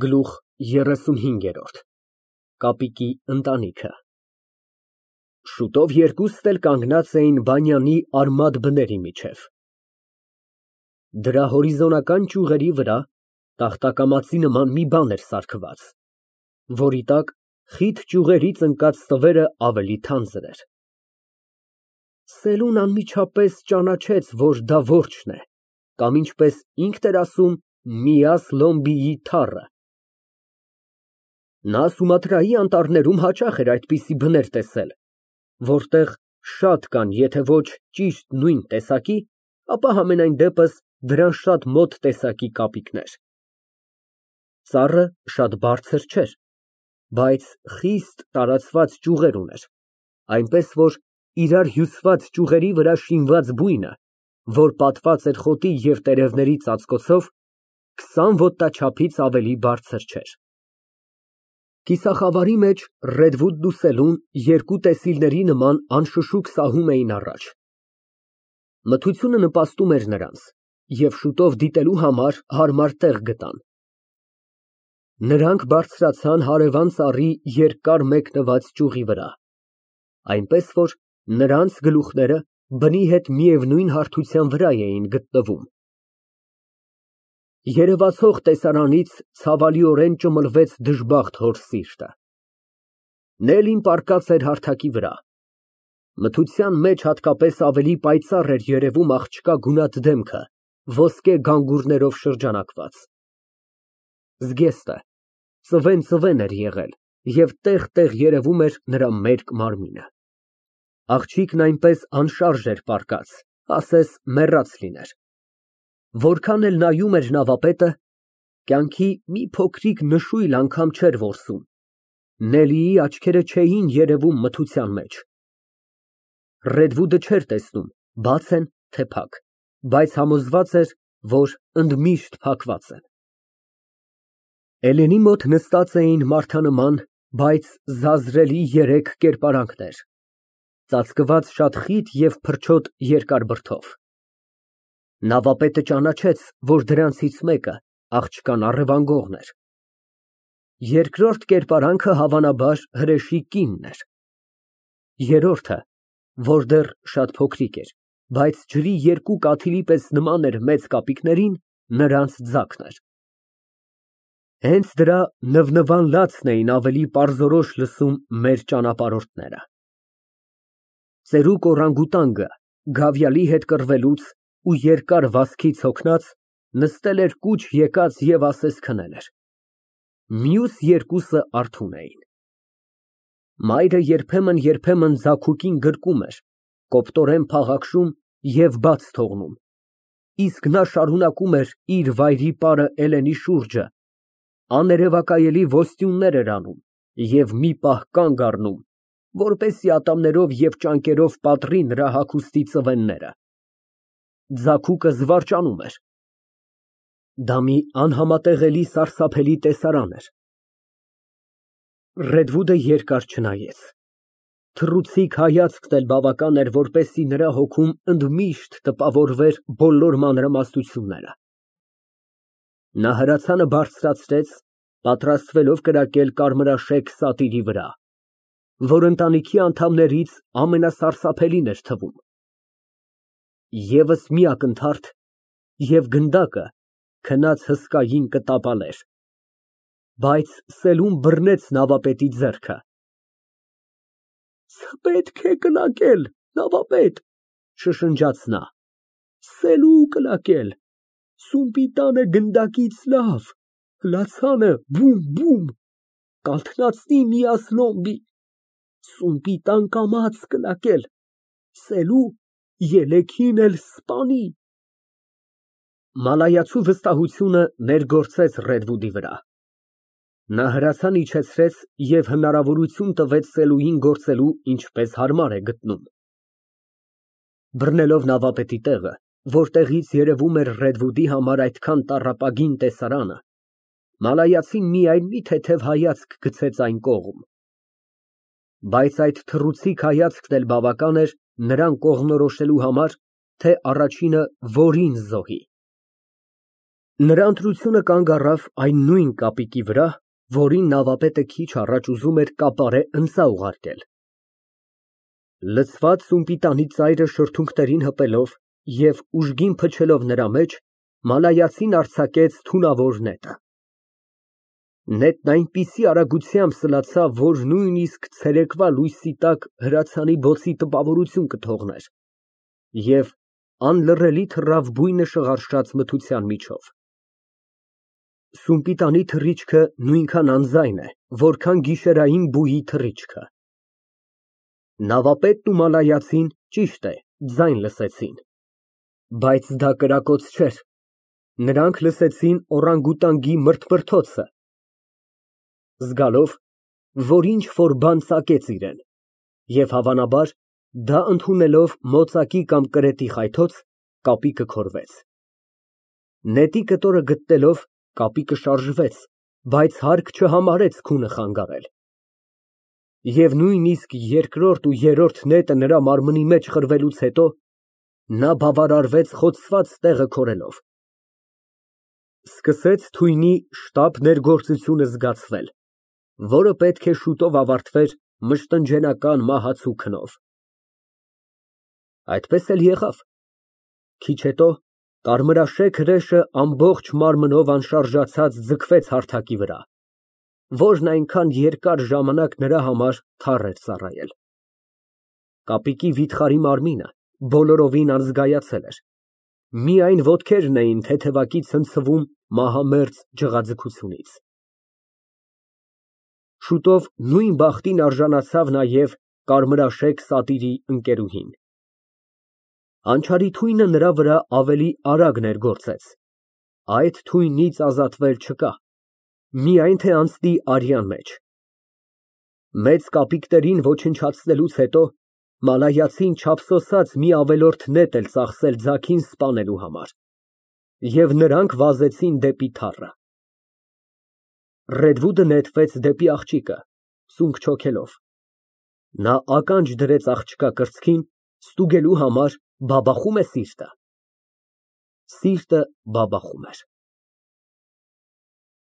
Գլուխ 35 Կապիկի ընտանիքը Շուտով երկուստ էլ կանգնած էին բանյանի արմատ բների միջև։ Դրա հորիզոնական ճյուղերի վրա տախտակամածի նման մի բան էր սարքված, որի տակ խիտ ճյուղերից ընկած ստվերը ավելի թանձր էր։ Սելուն անմիջապես ճանաչեց, որ դա որջն է, կամ ինչպես ինքն էր ասում, Միաս Լոմբիի թառը։ Նա Սումատրայի անտառներում հաճախ էր այդպիսի բներ տեսել, որտեղ շատ կան, եթե ոչ ճիշտ նույն տեսակի, ապա համենայն դեպս դրան շատ մոտ տեսակի կապիկներ։ Ծառը շատ բարձր չէր, բայց խիստ տարածված ճյուղեր ուներ, այնպես որ իրար հյուսված ճյուղերի վրա շինված բույնը, որ պատված էր խոտի և տերևների ծածկոցով, 20 ոտնաչափից ավելի բարձր չէր։ Կիսախավարի մեջ Ռեդվուդն ու Սելուն երկու տեսիլների նման անշշուկ սահում էին առաջ։ Մթությունը նպաստում էր նրանց, և շուտով դիտելու համար հարմար տեղ գտան։ Նրանք բարձրացան հարևան ծառի երկար մեկնված ճյուղի վրա, այնպես որ նրանց գլուխները բնի հետ միևնույն հարթության վրա էին գտնվում։ Երևացող տեսարանից ցավալիորեն ճմլվեց դժբախտ հոր սիրտը։ Նելին պառկած էր հարթակի վրա։ Մթության մեջ հատկապես ավելի պայծառ էր երևում աղջկա գունատ դեմքը, ոսկե գանգուրներով շրջանակված։ Զգեստը ծվեն էր եղել և տեղ֊տեղ երևում էր նրա մերկ մարմինը։ Աղջիկն այնպես անշարժ էր պառկած, ասես մեռած լիներ։ Որքան էլ նայում էր նավապետը, կյանքի մի փոքրիկ նշույլ անգամ չէր որսում, Նելիի աչքերը չէին երևում մթության մեջ։ Ռեդվուդը չէր տեսնում բաց են, թե փակ, բայց համոզված էր, որ ընդմիշտ փակված են։ Էլենի մոտ նստած էին մարդանման, բայց զազրելի երեք կերպարանքներ, ծածկված շատ խիտ և փրչոտ երկար բրդով։ Նավապետը ճանաչեց, որ դրանցից մեկը աղջկան առևանգողն էր։ Երկրորդ կերպարանքը հավանաբար հրեշի կինն էր։ Երրորդը, որ դեռ շատ փոքրիկ էր, բայց ջրի երկու կաթիլի պես նման էր մեծ կապիկներին, նրանց ձագն էր։ Հենց դրա նվնվան լացն էին ավելի պարզորոշ լսում մեր ճանապարհորդները։ Ծերուկ օրանգուտանգը, գավիալի հետ կռվելուց ու երկար վազքից հոգնած, նստել էր կուչ եկած և ասես քնել էր։ Մյուս երկուսը արթուն էին։ Մայրը երբեմն ձագուկին գրկում էր, կոպտորեն փաղաքշում և բաց թողնում, իսկ նա շարունակում էր իր վայրի պարը Էլենի շուրջը, աներևակայելի ոստյուններ էր անում և մի պահ կանգ առնում, որպեսզի ատամներով և ճանկերով պատռի նրա հագուստի ծվենները։ Ձագուկը զվարճանում էր։ Դա մի անհամատեղելի սարսափելի տեսարան էր։ Ռեդվուդը երկար չնայեց։ Թռուցիկ հայացքն էլ բավական էր, որպեսզի նրա հոգում ընդմիշտ տպավորվեր բոլոր մանրամասնությունները։ Նա հրացանը բարձրացրեց, պատրաստվելով կրակել կարմրաշեք սատիրի վրա, որ ընտանիքի անդամներից ամենասարսափելին էր թվում։ Եվս մի ակնթարթ, և գնդակը քնած հսկային կտապալեր, բայց Սելուն բռնեց նավապետի ձեռքը։ Չպետք է կլակել, նավապետ, շշնջաց նա, Սելու կլակել, սումպիտանը գնդակից լավ, հլացանը բում, կալթնացնի Միաս Լոմբի, սումպիտան կամաց կլակել, Սելու ելեքին էլ սպանի։ Մալայացու վստահությունը ներգործեց Ռեդվուդի վրա։ Նա հրացան իջեցրեց և հնարավորություն տվեց Սելուին գործելու ինչպես հարմար է գտնում։ Բռնելով նավապետի տեղը, որտեղից երևում էր Ռեդվուդի համար այդքան տառապագին տեսարանը, մալայացին միայն մի թեթև հայացք գցեց այն կողմ։ Բայց այդ թռուցիկ հայացքն էլ բավական էր նրան կողմնորոշելու համար, թե առաջինը որին զոհի։ Նրա ընտրությունը կանգ առավ այն նույն կապիկի վրա, որին նավապետը քիչ առաջ ուզում էր կապարե ընծա ուղարկել։ Լցված սումպիտանի ծայրը շրթունքներին հպելով և ուժգին փչելով նրա մեջ, մալայացին արձակեց թունավոր նետը։ Նետն այնպիսի արագությամբ սլացավ, որ նույնիսկ ցերեկվա լույսի տակ հրացանի բոցի տպավորություն կթողներ և անլռելի թռավ բույնը շղարշաց մթության միջով։ Սումպիտանի թռիչքը նույնքան անձայն է, որքան գիշերային բուի թռիչքը։ Նավապետն ու մալայացին, ճիշտ է, ձայն լսեցին, բայց դա կրակոց չէր, նրանք լսեցին օրանգուտանգի մրթմրթոցը, զգալով, որ ինչ֊որ բան ծակեց իրան, և հավանաբար, դա ընդունելով մոծակի կամ կրետի խայթոց, կապիկը քորվեց։ Նետի կտորը գտնելով, կապիկը շարժվեց, բայց հարկ չհամարեց քունը խանգարել։ Եվ նույնիսկ երկրորդ ու երրորդ նետը նրա մարմնի մեջ խրվելուց հետո, նա բավարարվեց խոցված տեղը քորելով։ Սկսեց թույնի շտապ ներգործությունը զգացվել, որը պետք է շուտով ավարտվեր մշտնջենական մահացու քնով։ Այդպես էլ եղավ։ Քիչ հետո կարմրաշեք հրեշը ամբողջ մարմնով անշարժացած ձգվեց հարթակի վրա, որն այնքան երկար ժամանակ նրա համար թառ էր ծառայել։ Կապիկի վիթխարի մարմինը բոլորովին անզգայացել էր, միայն ոտքերն էին թեթևակի ցնցվում մահամերձ ջղաձգությունից։ Շուտով նույն բախտին արժանացավ նաև կարմրաշեք սատիրի ընկերուհին։ Անչարի թույնը նրա վրա ավելի արագ ներգործեց, այդ թույնից ազատվել չկա, միայն թե անցնի արյան մեջ։ Մեծ կապիկներին ոչնչացնելուց հետո մալայացին չափսոսաց մի ավելորդ նետ էլ ծախսել ձագին սպանելու համար, և նրանք վազեցին դեպի թառը։ Ռեդվուդը նետվեց դեպի աղջիկը, ծունկ չոգելով։ Նա ականջ դրեց աղջկա կրծքին, ստուգելու համար, բաբախո՞ւմ է սիրտը։ Սիրտը բաբախում էր։